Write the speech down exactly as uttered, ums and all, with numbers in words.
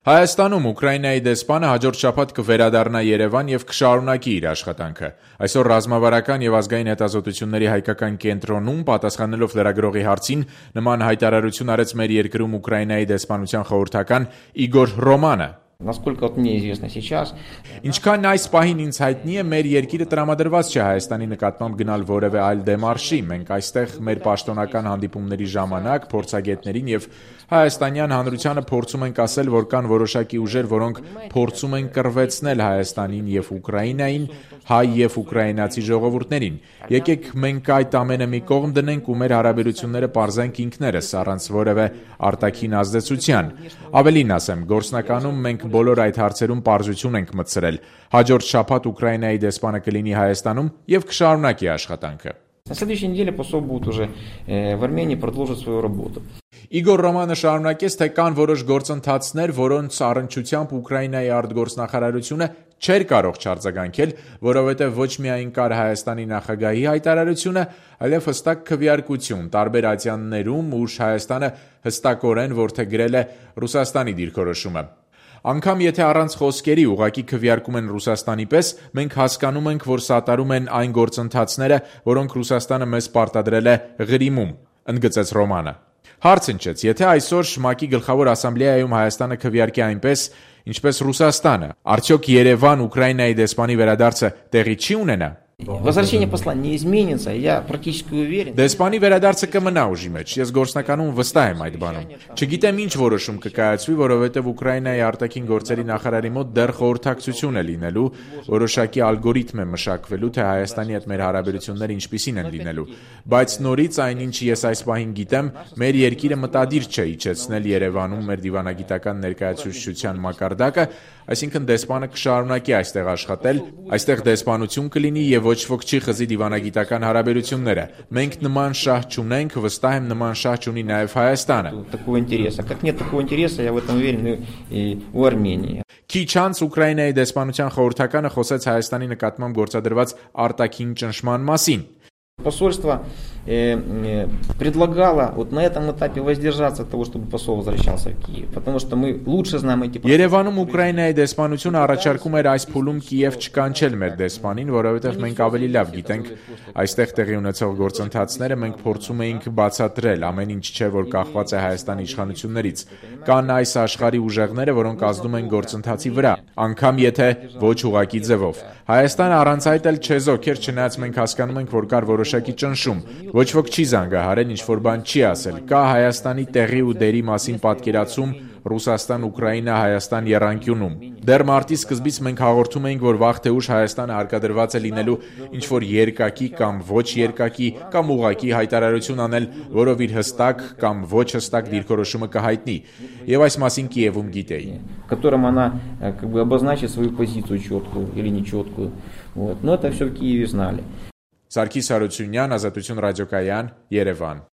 Հայաստանում Ուկրաինայի դեսպանը հաջորդ շաբաթ կվերադառնա Երևան եւ կշարունակի իր աշխատանքը։ Այսօր ռազմավարական եւ ազգային հետազոտությունների հայկական կենտրոնում պատասխանելով լրագրողի հարցին նման հայտարարություն արեց մեր երկրում Ուկրաինայի դեսպանության խորհրդական Իգոր Ռոմանը։ Насколько вот мне известно сейчас. Ինչքան այս պահին ինձ հայտնի է, մեր երկիրը տրամադրված չէ Հայաստանի նկատմամբ գնալ որևէ այլ դեմարշի։ Մենք այստեղ մեր պաշտոնական հանդիպումների ժամանակ փորձագետներին եւ հայաստանյան հանրությանը փորձում ենք ասել, որ կան որոշակի ուժեր, որոնք փորձում են կռվեցնել Հայաստանին եւ Ուկրաինային, հայ եւ ուկրաինացի ժողովուրդներին։ Եկեք մենք այդ ամենը մի կողմ դնենք ու մեր հարաբերությունները պարզենք ինքներս, առանց որևէ արտաքին ազդեցության։ Ավելին ասեմ, գործնականում մենք բոլոր այդ հարցերում պարզություն ենք մտցրել։ Հաջորդ շաբաթ Ուկրաինայի դեսպանը կլինի Հայաստանում եւ կշարունակի աշխատանքը։ На следующей неделе посол будет уже в Армении продолжить свою работу. Իգոր Ռոմանը շարունակեց, թե կան որոշ գործընթացներ, որոնց առնչությամբ Ուկրաինայի արտգործնախարարությունը չէր կարող չարձագանքել, որովհետև ոչ միայն կար Հայաստանի նախագահի հայտարարությունը, այլև հստակ քվեարկություն տարբեր ատյաններում, ուր Հայաստանը հստակորեն որդեգրել է Ռուսաստանի դիրքորոշումը։ Անգամ եթե առանց խոսքերի ուղղակի քվեարկում են Ռուսաստանի պես, մենք հասկանում ենք, որ սատարում են այն գործընթացները, որոնք Ռուսաստանը մեզ պարտադրել է Ղրիմում, ընդգծեց Ռոմանը։ Հարց ընչեց, եթե այսօր ՄԱԿ-ի գլխավոր ասամբլեայում Հայաստանը քվեարկի այնպես, ինչպես Ռուսաստանը, արդյոք Երևան Ուկրաինայի դեսպանի վերադարձը տեղի չի ունենա։ Возвращение посла не изменится, я практически уверен. Դեսպանի վերադարձը կմնա ուժի մեջ, ես գործնականում վստահ եմ այդ բանում։ Չգիտեմ ինչ որոշում կկայացվի, որովհետև Ուկրաինայի արտաքին գործերի նախարարի մոտ դեռ խորհրդակցություն է լինելու, որոշակի ալգորիթմ է մշակվելու, թե Հայաստանի հետ մեր հարաբերությունները ինչպիսին են լինելու։ Բայց նորից այնինչ ես այս պահին գիտեմ, մեր երկիրը մտադիր չէ իջեցնել Երևանում մեր դիվանագիտական ներկայացուցչության մակարդակը, այսինքն դեսպանը կշարունակի այստեղ աշխատել, այստեղ դեսպանություն կլինի եւ ոչ ոք չի խզի դիվանագիտական հարաբերությունները։ Մենք նման շահ չունենք, վստահ եմ նման շահ չունի նաեւ Հայաստանը։ Такого интереса, как нет такого интереса, я в этом уверен и у Армении. Քիչ անց Ուկրաինայի դեսպանության խորհրդականը խոսեց Հայաստանի нկատմամբ գործադրված արտաքին ճնշման մասին։ Посольство э, э, предлагало вот на этом этапе воздержаться от того, чтобы посол возвращался в Киев, потому что мы лучше знаем эти процессы. Երևանում Ուկրաինայի դեսպանությունը առաջարկում էր այս փուլում Կիև չկանչել մեր դեսպանին, որովհետև մենք ավելի լավ գիտենք այստեղ տեղի ունեցող գործընթացները, մենք փորձում էինք բացատրել, ամեն ինչ չէ, որ կախված է Հայաստանի իշխանություններից։ Կան այս աշխարհի ուժեղները, որոնք ազդում են գործընթացի վրա, անգամ եթե ոչ ուղղակի ձևով։ Հայաստանը առանց այդ էլ չեզոք էր, չնայած մենք հասկանում ենք, որ կար որոշակի ճնշում։ Ոչ ոք չի զանգահարել, ինչ որ բան չի ասել։ Կա Հայաստանի տեղի ու դերի մասին պատկերացում Ռուսաստան-Ուկրաինա-Հայաստան եռանկյունում։ Դեռ մարտի սկզբից մենք հաղորդում էինք, որ վաղ թե ուշ Հայաստանը հարկադրված է լինելու ինչ որ երկակի կամ ոչ երկակի կամ ուղղակի հայտարարություն անել, որով իր հստակ կամ ոչ հստակ դիրքորոշումը կհայտնի։ Եվ այս մասին Կիևում գիտեին։ Которым она как бы обозначит свою позицию четкую или нечеткую. Вот. Но это все в Киеве знали. Սարգիս Հարությունյան, Ազատություն ռադիոկայան, Երևան։